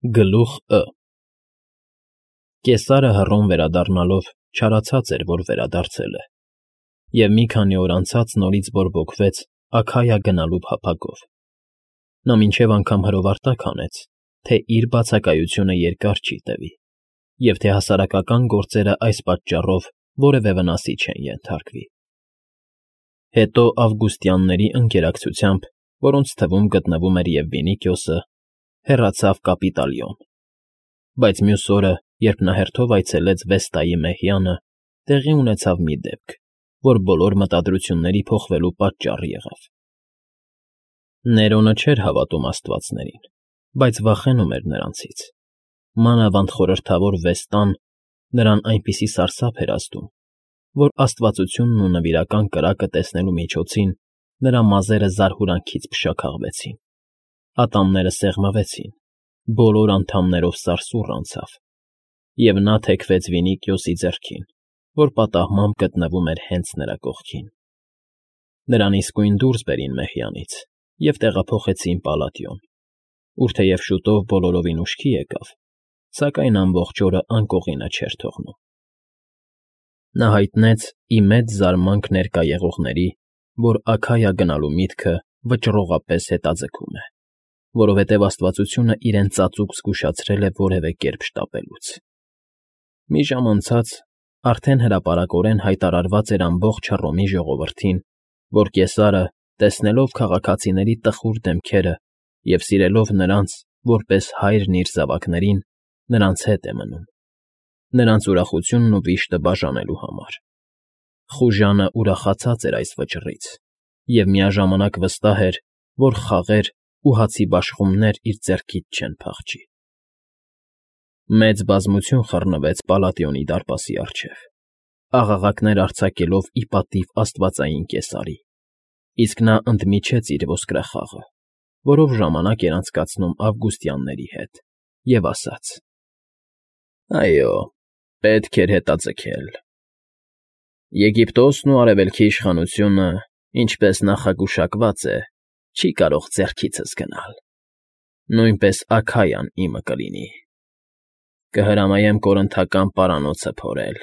Գլուխ Ը Կեսարը հռոմ վերադառնալով չարացած էր, որ վերադարձել է, և մի քանի օր անցած նորից բորբոքվեց Աքայա գնալու փափագով. նա մինչև անգամ հրովարտակ հանեց, թե իր բացակայությունը երկար չի տևի, և թե հասարակական գործերը այս պատճառով որևէ վնասի չեն ենթարկվի։ Հետո ավգուստյանների ընկերակցությամբ, որոնց թվում գտնվում էր և Վինիքիոսը, հեռացավ Կապիտոլիոն, բայց մյուս օրը, երբ նա հերթով այցելեց Վեստայի մեհյանը, տեղի ունեցավ մի դեպք, որ բոլոր մտադրությունների փոխվելու պատճառ եղավ։ Ներոնը չէր հավատում աստվածներին, բայց վախենում էր նրանցից, մանավանդ խորհրդավոր Վեստան նրան այնպիսի սարսափ էր ազդում, որ աստվածությունն ու նվիրական կրակը տեսնելու միջոցին նրա մազերը զարհուրանքից փշաքաղվեցին, ատամները սեղմվեցին, բոլոր անդամներով սարսուռ անցավ, և նա թեքվեց Վինիքիոսի ձեռքին, որ պատահմամբ գտնվում էր հենց նրա կողքին։ Նրան իսկույն դուրս բերին մեհյանից և տեղափոխեցին Պալատիոն, ուր թեև շուտով բոլորովին ուշքի եկավ, սակայն ամբողջ օրը անկողինը չէր թողնում։ Նա հայտնեց ի մեծ զարմանք ներկա եղողների, որ Աքայա գնալու միտքը վճռողապես հետաձգում է, որովհետև աստվածությունը իրեն ծածուկ զգուշացրել է որևէ կերպ շտապելուց։ Մի ժամ անցած արդեն հրապարակորեն հայտարարված էր ամբողջ Հռոմի ժողովրդին, որ Կեսարը, տեսնելով քաղաքացիների տխուր դեմքերը և սիրելով նրանց, որպես հայրն իր զավակներին, նրանց հետ է մնում, նրանց ուրախությունն ու վիշտը բաժանելու համար։ Խուժանը ուրախացած էր այս վճռից և միաժամանակ վստահ էր, որ խաղեր ու հացի բաշխումներ իր ձեռքից չեն փախչի։ Մեծ բազմություն խռնվեց Պալատիոնի դարպասի առջև, աղաղակներ արձակելով ի պատիվ աստվածային Կեսարի, իսկ նա ընդմիջեց իր ոսկրախաղը, որով ժամանակ էր անցկացնում ավգուստյանների հետ, և ասաց. «Այո, պետք էր հետաձգել։ Եգիպտոսն ու Արևելքի իշխանությունը, ինչպես նախագուշակված է, չի կարող ձեռքիցս գնալ, նույնպես Աքայան իմը կլինի։ Կհրամայեմ կորնթական պարանոցը փորել,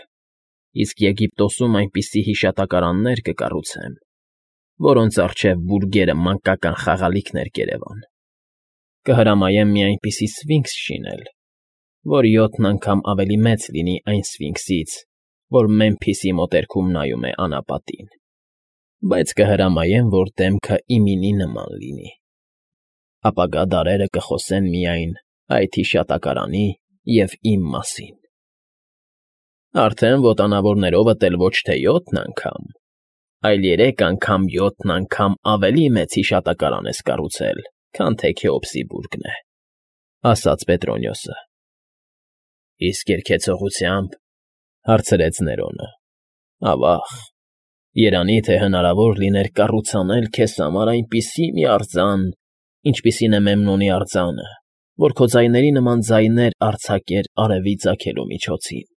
իսկ Եգիպտոսում այնպիսի հիշատակարաններ կկառուցեմ, որոնց առջև բուրգերը մանկական խաղալիքներ կերևան։ Կհրամայեմ մի այնպիսի սֆինքս շինել, որ 7 անգամ ավելի մեծ լինի այն սֆինքսից, որ Մեմփիսի մոտերքում նայում է անապատին, բայց կհրամայեմ, որ դեմքը իմինի նման լինի։ Ապագա դարերը կխոսեն միայն այդ հիշատակարանի և իմ մասին։ Արդեն ոտանավորներովդ էլ ոչ թե 7 անգամ, այլ 3 անգամ 7 անգամ ավելի մեծ հիշատակարան ես կառուցել, քան թե Քեոպսի բուրգն է, ֊ ասաց Պետրոնիոսը։ ֊ Իսկ երգեցողությա՞մբ, ֊ հարցրեց Ներոնը։ ֊ Ավա՜ղ, երանի թե հնարավոր լիներ կառուցանել քեզ համար այնպիսի մի արձան, ինչպիսին է Մեմնոնի արձանը, որ քո ձայների նման ձայներ արձակեր արևի ծագելու միջոցին։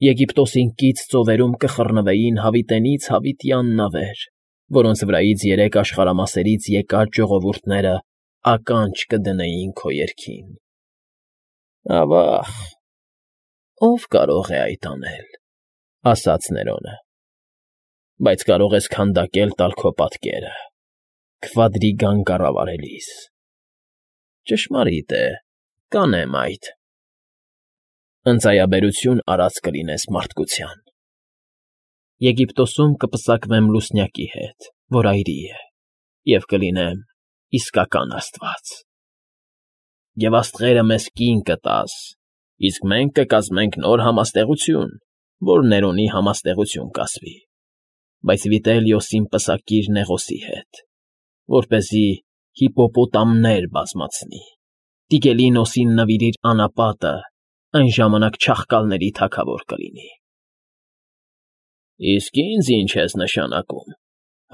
Եգիպտոսին կից ծովերում կխռնվեին հավիտենից հավիտյան նավեր, որոնց վրայից 3 աշխարհամասերից եկած ժողովուրդները ականջ կդնեին քո երգին։ Ավա՜ղ, ո՞վ կարող է այդ անել, ֊ ասաց Ներոնը։ ֊ Բայց կարող ես քանդակել տալ քո պատկերը, Քվադրիգան կառավարելիս։ Ճշմարիտ է, կանեմ այդ։ Ընծայաբերություն արած կլինես մարդկության։ Եգիպտոսում կպսակվեմ լուսնյակի հետ, որ այրի է, և կլինեմ իսկական աստված։ Եվ աստղերը մեզ կին կտաս, իսկ մենք կկազմենք նոր համաստեղություն, որ Ներոնի համաստեղություն կասվի, բայց Վիտելիոսին պսակիր Նեղոսի հետ, որպեսզի հիպոպոտամներ բազմացնի, Տիգելինոսին նվիրիր անապատը, այն ժամանակ չախկալների թագավոր կլինի։ ֊ Իսկ ինձ ի՞նչ ես նշանակում, ֊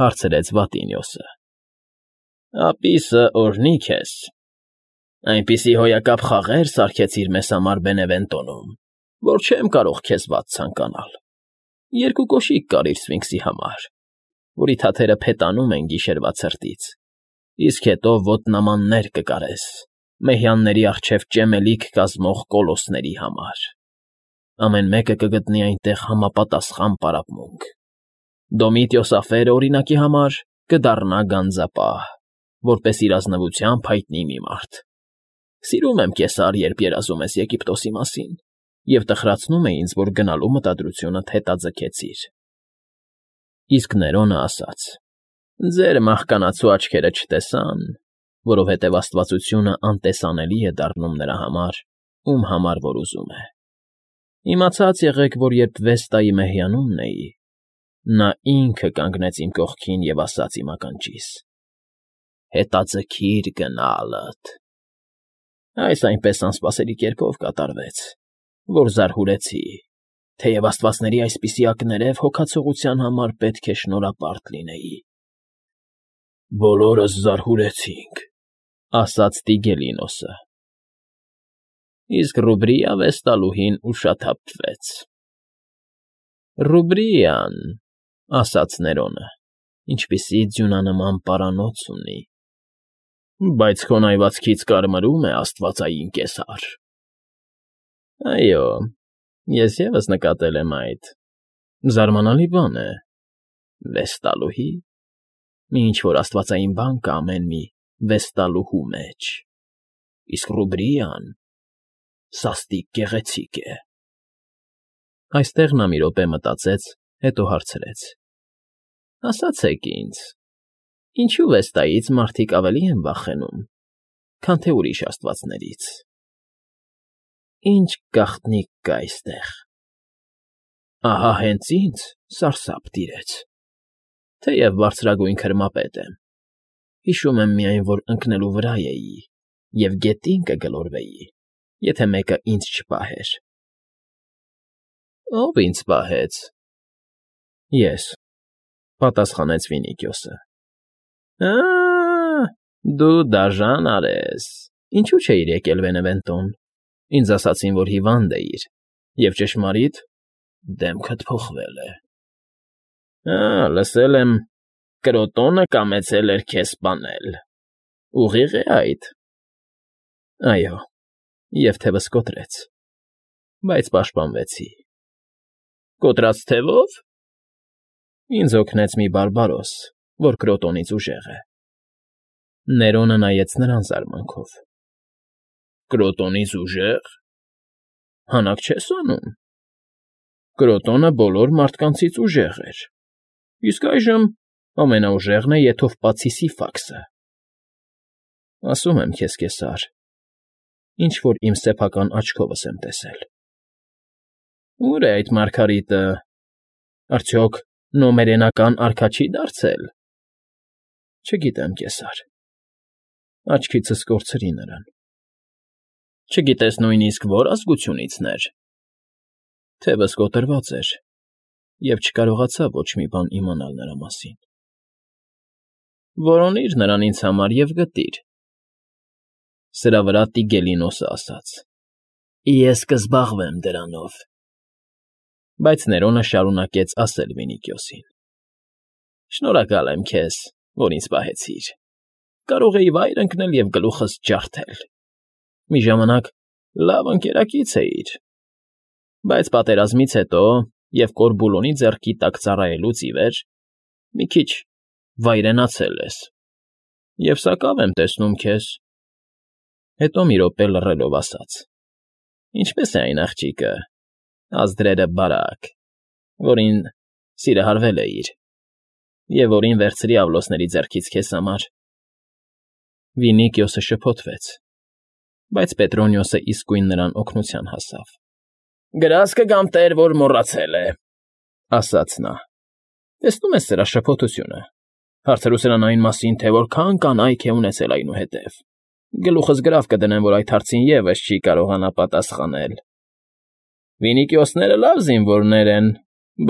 հարցրեց Վատինիոսը։ ֊ Ապիսը օրհնի քեզ։ Այնպիսի հոյակապ խաղեր սարքեցիր մեզ համար Բենևենտոնում, որ չեմ կարող քեզ վատ ցանկանալ։ 2 կոշիկ կարիր սֆինքսի համար, որի թաթերը փետանում են գիշերվա ցրտից, իսկ հետո ոտնամաններ կկարես, մեհյանների առջև ճեմելիք կազմող կոլոսսների համար։ Ամեն մեկը կգտնի այնտեղ համապատասխան պարապմունք։ Դոմիտիոսաֆերը, օրինակի համար, կդառնա գանձապահ, որպես իր ազնվությամբ հայտնի մի մարդ։ Սիրում եմ, Կեսար, երբ երազում ես Եգիպտոսի մասին, և տխրացնում է ինձ, որ գնալու մտադրությունդ հետաձգեցիր։ Իսկ Ներոնը ասաց. ձեր մահկանացու աչքերը չտեսան, որովհետև աստվածությունը անտեսանելի է դառնում նրա համար, ում համար որ ուզում է։ Իմացած եղեք, որ երբ Վեստայի մեհյանումն էի, նա ինքը կանգնեց իմ կողքին և ասաց իմ ականջիս. «Հետաձգիր գնալդ»։ Այս այնպես անսպասելի կերպով կատարվեց, որ զարհուրեցի, թեև աստվածների այսպիսի ակներև հոգացողության համար պետք է շնորհապարտ լինեի։ «Բոլորս զարհուրեցինք», ասաց Տիգելինոսը։ Իսկ Ռուբրիա վեստալուհին ուշաթափվեց։ «Ռուբրիան», ասաց Ներոնը, ինչպիսի ձյունանման պարանոց ունի, բայց քո նայվածքից կարմրում է աստվածային Կեսար։ Այո, ես ևս նկատել եմ այդ։ Զարմանալի բան է։ Վեստալուհի։ Մի ինչ-որ աստվածային բան կա ամեն մի վեստալուհու մեջ։ Իսկ Ռուբրիան սաստիկ գեղեցիկ է։ Այստեղ նա մի րոպե մտածեց, հետո հարցրեց. ասացեք ինձ, ինչու Վեստայից մարդիկ ավելի են վախենում, քան թե ուրիշ աստվածներից։ Ինչ գաղտնիք կա այստեղ։ Ահա հենց ինձ սարսափ տիրեց, թեև բարձրագույն քրմապետ եմ։ Հիշում եմ միայն, որ ընկնելու վրա էի և գետին կգլորվեի, եթե մեկը ինձ չպահեր։ Ո՞վ ինձ պահեց։ Ես, պատասխանեց Վինիկիոսը։ Դու դաժան արես։ Ինչու չէիր եկել Վենևենտոն։ Ինձ ասացին, որ հիվանդ էիր, և ճշմարիտ, դեմքդ փոխվել է։ Լսել եմ, Կրոտոնը կամեցել էր քեզ սպանել։ Ուղիղ է այդ։ Այո, և թևս կոտրեց, բայց պաշտպանվեցի։ Կոտրած թևո՞վ։ Ինձ օգնեց մի բարբարոս, որ Կրոտոնից ուժեղ է։ Ներոնը նայեց նրան զարմանքով։ Կրոտոնից ուժեղ։ Հանակ չես անում։ Կրոտոնը բոլոր մարդկանցից ուժեղ էր, իսկ այժմ ամենաուժեղն է Եթովպացի Սիֆաքսը։ Ասում եմ քեզ, Կեսար, ինչ֊որ իմ սեփական աչքովս եմ տեսել։ Ո՞ւր է այդ մարգարիտը։ Արդյոք նոմերենական արքա չի դարձել։ Չգիտեմ, Կեսար։ Աչքիցս կորցրի նրան։ Չգիտես նույնիսկ որ ազգությունիցն էր։ Թևս կոտրված էր, և չկարողացա ոչ մի բան իմանալ նրա մասին։ Որոնիր նրան ինձ համար և գտիր։ Սրա վրա Տիգելինոսը ասաց. Ես կզբաղվեմ դրանով։ Բայց Ներոնը շարունակեց ասել Վինիկիոսին. Շնորհակալ եմ քեզ, որ ինձ պահեցիր։ Կարող էի վայր ընկնել և գլուխս ջարդել։ Մի ժամանակ լավ ընկերակից էիր, բայց պատերազմից հետո և Կորբուլոնի ձեռքի տակ ծառայելուց ի վեր մի քիչ վայրենացել ես, և սակավ եմ տեսնում քեզ։ Հետո մի րոպե լռելով ասաց. Ինչպես է այն աղջիկը, ազդրերը բարակ, որին սիրահարվել էիր, և որին վերցրի Ավլոսների ձեռքից քեզ համար։ Վինիկիոսը շփոթվեց, բայց Պետրոնիոսը իսկույն նրան օգնության հասավ։ Գրազ կգամ, տեր, որ մոռացել է, ասաց նա։ Տեսնում ես սրա շփոթությունը։ Հարցրու սրան այն մասին, թե որքան կանայք է ունեցել այնուհետև։ Գլուխս գրավ կդնեմ, որ այդ հարցին ևս չի կարողանա պատասխանել։ Վինիկիոսները լավ զինվորներ են,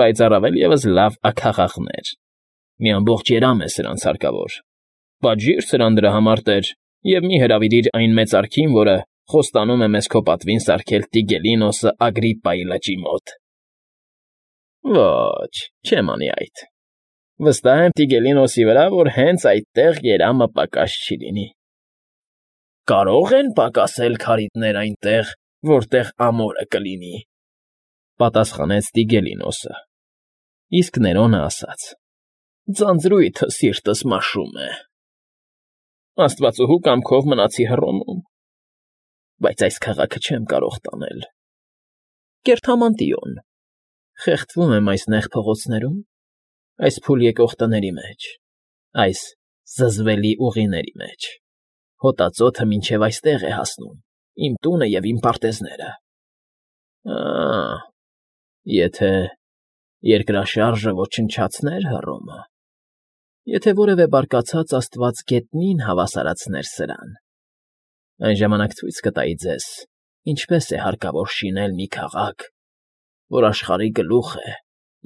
բայց առավել ևս լավ աքաղաղներ։ Մի ամբողջ երամ է սրանց հարկավոր։ Պատժիր սրան դրա համար, տեր, և մի հրավիրիր այն մեծարքին, որը խոստանում է մեզ քո պատվին սարքել Տիգելինոսը Ագրիպպայի լճի մոտ։ Ոչ, չեմ անի այդ։ Վստահ եմ Տիգելինոսի վրա, որ հենց այդտեղ երամը պակաս չի լինի։ Կարող են պակասել քարիդներ այնտեղ, որտեղ ամորը կլինի,֊ պատասխանեց Տիգելինոսը, իսկ Ներոնը ասաց. ձանձրույթը սիրտս մաշում է. աստվածուհու կամքով մնացի Հռոմում, բայց այս քաղաքը չեմ կարող տանել. Կերթամանտիոն, խեղդվում եմ այս նեղ փողոցներում, այս փուլ եկող տների մեջ, այս զզվելի ուղիների մեջ, հոտածոթը մինչև այստեղ է հասնում, իմ տունը և իմ պարտեզները… Եթե երկրաշարժը ոչնչացներ Հռոմը, եթե որևէ բարկացած աստված գետնին հավասարացներ սրան, այն ժամանակ ցույց կտայի ձեզ, ինչպես է հարկավոր շինել մի քաղաք, որ աշխարհի գլուխ է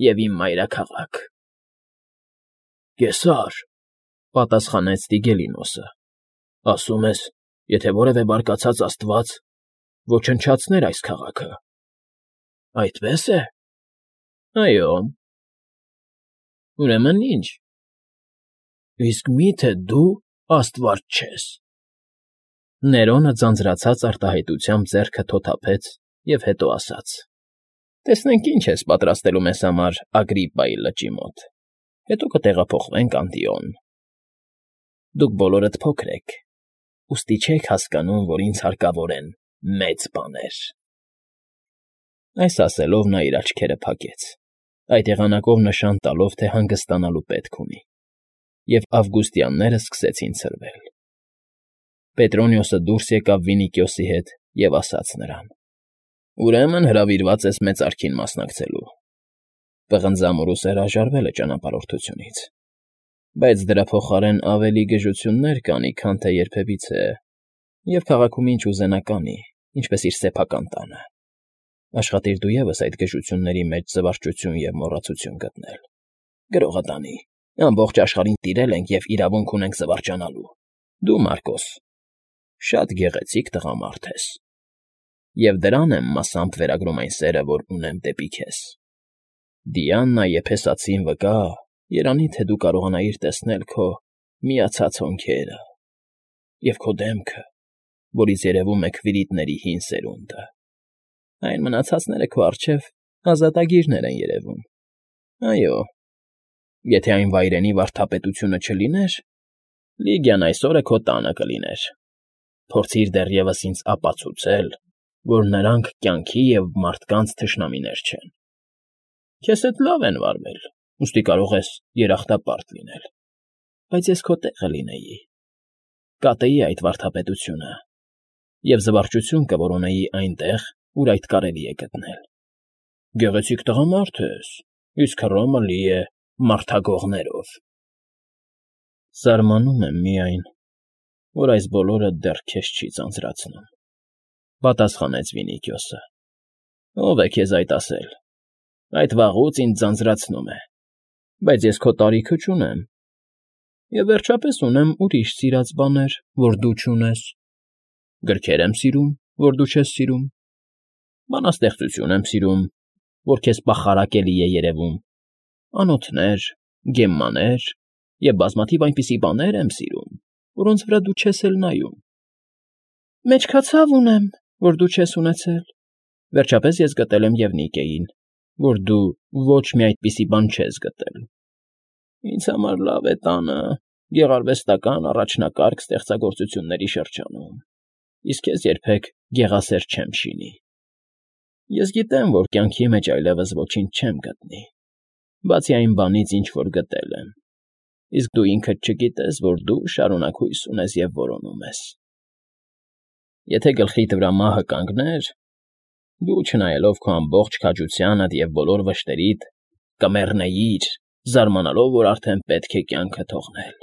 և իմ մայրաքաղաք… ֊ Կեսար,֊ պատասխանեց Տիգելինոսը,֊ ասում ես, եթե որևէ բարկացած աստված ոչնչացներ այս քաղաքը… Այդպե՞ս է։ ֊ Այո։ ֊ Ուրեմն ի՞նչ։ ֊ Իսկ մի՞թե դու աստված չես… Ներոնը ձանձրացած արտահայտությամբ ձեռքը թոթափեց և հետո ասաց. տեսնենք ինչ ես պատրաստելու մեզ համար Ագրիպպայի լճի մոտ, հետո կտեղափոխվենք Անտիոն… Դուք բոլորդ փոքր եք, ուստի չեք հասկանում, որ ինձ հարկավոր են մեծ բաներ… Այս ասելով նա իր աչքերը փակեց, այդ եղանակով նշան տալով, թե հանգստանալու պետք ունի, և ավգուստյանները սկսեցին ցրվել… Պետրոնիոսը դուրս եկավ Վինիկիոսի հետ և ասաց նրան. ուրեմն հրավիրված ես մեծարքին մասնակցելու… Պղնձամուրուս հրաժարվել է ճանապարհորդությունից, բայց դրա փոխարեն ավելի գժություններ կանի, քան թե երբևիցե, և քաղաքում ինչ ուզենա կանի, ինչպես իր սեփական տանը… Աշխատիր դու ևս այդ գժությունների մեջ զվարճություն և մոռացություն գտնել… Գրողը տանի, ամբողջ աշխարհին տիրել ենք և իրավունք ունենք զվարճանալու… Դու, Մարկոս, շատ գեղեցիկ տղամարդ ես, և դրան եմ մասամբ վերագրում այն սերը, որ ունեմ դեպի քեզ… Դիանա Եփեսացին վկա, երանի թե դու կարողանայիր տեսնել քո միացած հոնքերը և քո դեմքը, որից երևում է քվիրիտների հին սերունդը… Այն մնացածները քո առջև ազատագիրներ են երևում… Այո, եթե այն վայրենի վարդապետությունը չլիներ, Լիգիան այսօրը քո տանը կլիներ… Փորձիր դեռևս ինձ ապացուցել, որ նրանք կյանքի և մարդկանց թշնամիներ չեն… Քեզ հետ լավ են վարվել, ուստի կարող ես երախտապարտ լինել… Բայց ես քո տեղը լինեի, կատեի այդ վարդապետությունը և զվարճություն կորոնեի այնտեղ, ուր այդ կարելի է գտնել… Գեղեցիկ տղամարդ ես, իսկ Հռոմը լի է մարդագողներով… Զարմանում եմ միայն, որ այս բոլորը դեռ քեզ չի ձանձրացնում,֊ պատասխանեց Վինիկիոսը։ ֊ Ո՞վ է քեզ այդ ասել… Այդ վաղուց ինձ ձանձրացնում է… Բայց ես քո տարիքը չունեմ… Եվ վերջապես ունեմ ուրիշ սիրած բաներ, որ դու չունես… Գրքեր եմ սիրում, որ դու չես սիրում… Բանաստեղծություն եմ սիրում, որ քեզ պախարակելի է երևում… Անոթներ, գեմմաներ և բազմաթիվ այնպիսի բաներ եմ սիրում, որոնց վրա դու չես էլ նայում… Մեջքացավ ունեմ, որ դու չես ունեցել… Վերջապես ես գտել եմ և Նիկեին, որ դու ոչ մի այդպիսի բան չես գտել… Ինձ համար լավ է տանը, գեղարվեստական առաջնակարգ ստեղծագործությունների շրջանում, իսկ քեզ երբեք գեղասեր չեմ շինի… Ես գիտեմ, որ կյանքի մեջ այլևս ոչինչ չեմ գտնի, բացի այն բանից, ինչ որ գտել եմ, իսկ դու ինքդ չգիտես, որ դու շարունակ հույս ունես և որոնում ես… Եթե գլխիդ վրա մահը կանգներ, դու, չնայելով քո ամբողջ քաջությանդ և բոլոր վշտերիդ, կմեռնեիր, զարմանալով, որ արդեն պետք է կյանքը թողնել…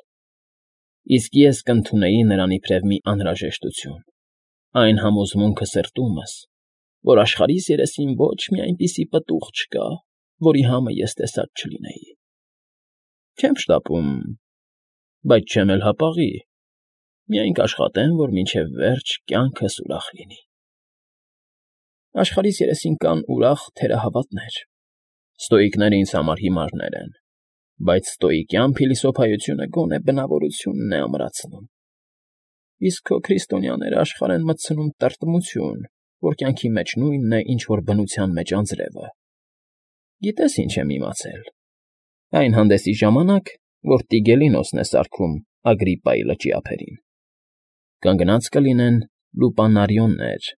Իսկ ես կընդունեի նրան իբրև մի անհրաժեշտություն, այն համոզմունքը սրտումս, որ աշխարհիս երեսին ոչ մի այնպիսի պտուղ չկա, որի համը ես տեսած չլինեի… Չեմ շտապում, բայց չեմ էլ հապաղի, միայն կաշխատեմ, որ մինչև վերջ կյանքս ուրախ լինի… Աշխարհիս երեսին կան ուրախ թերահավատներ… Ստոիկները ինձ համար հիմարներ են, բայց ստոիկյան փիլիսոփայությունը գոնե բնավորությունն է ամրացնում… Իսկ քո քրիստոնյաները աշխարհ են մտցնում տրտմություն, որ կյանքի մեջ նույնն է, ինչ որ բնության մեջ անձրևը։ Գիտես ինչ եմ իմացել։ Այն հանդեսի ժամանակ, որ Տիգելինոսն է սարքում Ագրիպայի լճի ափերին, կանգնած կլինեն լուպանարիոններ,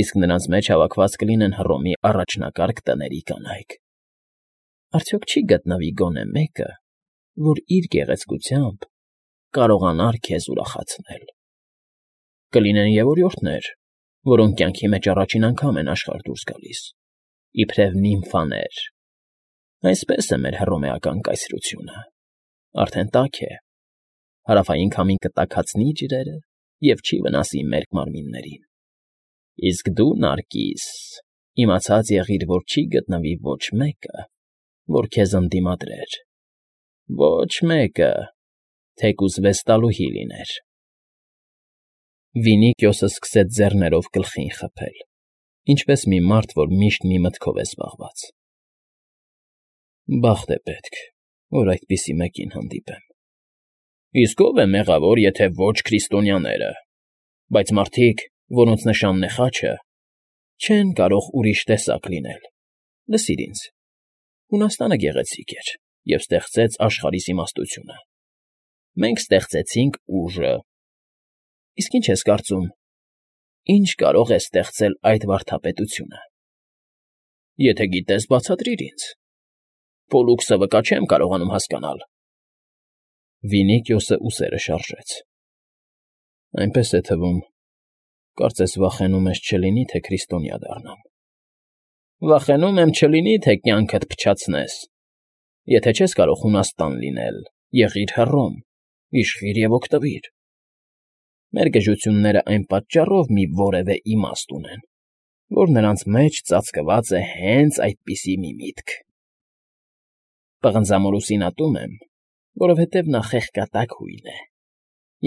իսկ նրանց մեջ հավաքված կլինեն Հռոմի առաջնակարգ տների կանայք։ Արդյոք չի գտնվի գոնե մեկը, որ իր գեղեցկությամբ կարողանար քեզ ուրախացնել։ Կլինեն և օրիորդներ, որոնք կյանքի մեջ առաջին անգամ են աշխարհ դուրս գալիս, իբրև նիմֆաներ։ Այսպես է մեր հռոմեական կայսրությունը, արդեն տաք է, հարավային քամին կտաքացնի ջրերը և չի վնասի մեր մարմիններին։ Իսկ դու, Նարկիս, իմացած եղիր, որ չի գտնվի ոչ մեկը, որ քեզ ընդդիմադրեր, ոչ մեկը, թեկուզ վեստալուհի լիներ։ Վինիկիոսը սկսեց ձեռներով գլխին խփել, ինչպես մի մարդ, որ միշտ մի մտքով է զբաղված։ Բախտ է պետք, որ այդպիսի մեկին հանդիպեմ։ Իսկ ո՞վ է մեղավոր, եթե ոչ քրիստոնյաները, բայց մարդիկ, որոնց նշանն է խաչը, չեն կարող ուրիշ տեսակ լինել։ Լսիր ինձ. Հունաստանը գեղեցիկ էր և ստեղծեց աշխարհիս իմաստությունը։ Մենք ստեղծեցինք ուժը։ Իսկ ինչ ես կարծում, ինչ կարող է ստեղծել այդ վարդապետությունը։ Եթե գիտես, բացատրիր ինձ։ Պոլուքսը վկա չեմ կարողանում հասկանալ։ Վինիկիոսը ուսերը շարժեց։ Այնպես է թվում, կարծես վախենում ես չլինի, թե քրիստոնյա դառնամ։ Վախենում եմ չլինի, թե կյանքդ փչացնես։ Եթե չես կարող Հունաստան լինել, եղիր Հռոմ, իշխիր և օգտվիր։ Մեր գժությունները այն պատճառով մի որևէ իմաստ ունեն, որ նրանց մեջ ծածկված է հենց այդպիսի մի միտք։ Պղնձամորուսին ատում եմ, որովհետև նա խեղկատակ հույն է։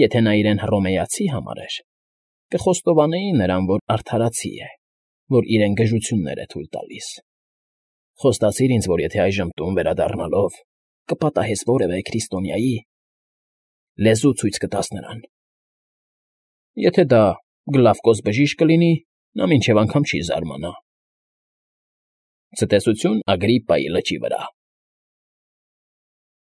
Եթե նա իրեն հռոմեացի համարեր, կխոստովանեի նրան, որ արդարացի է, որ իրեն գժություններ է թույլ տալիս։ Խոստացիր ինձ, որ եթե այժմ տուն վերադառնալով կպատահես որևէ քրիստոնյայի, լեզու ցույց կտաս նրան։ Եթե դա Գլավկոս բժիշկ կլինի, նա մինչև անգամ չի զարմանա։ Ցտեսություն Ագրիպայի լճի վրա։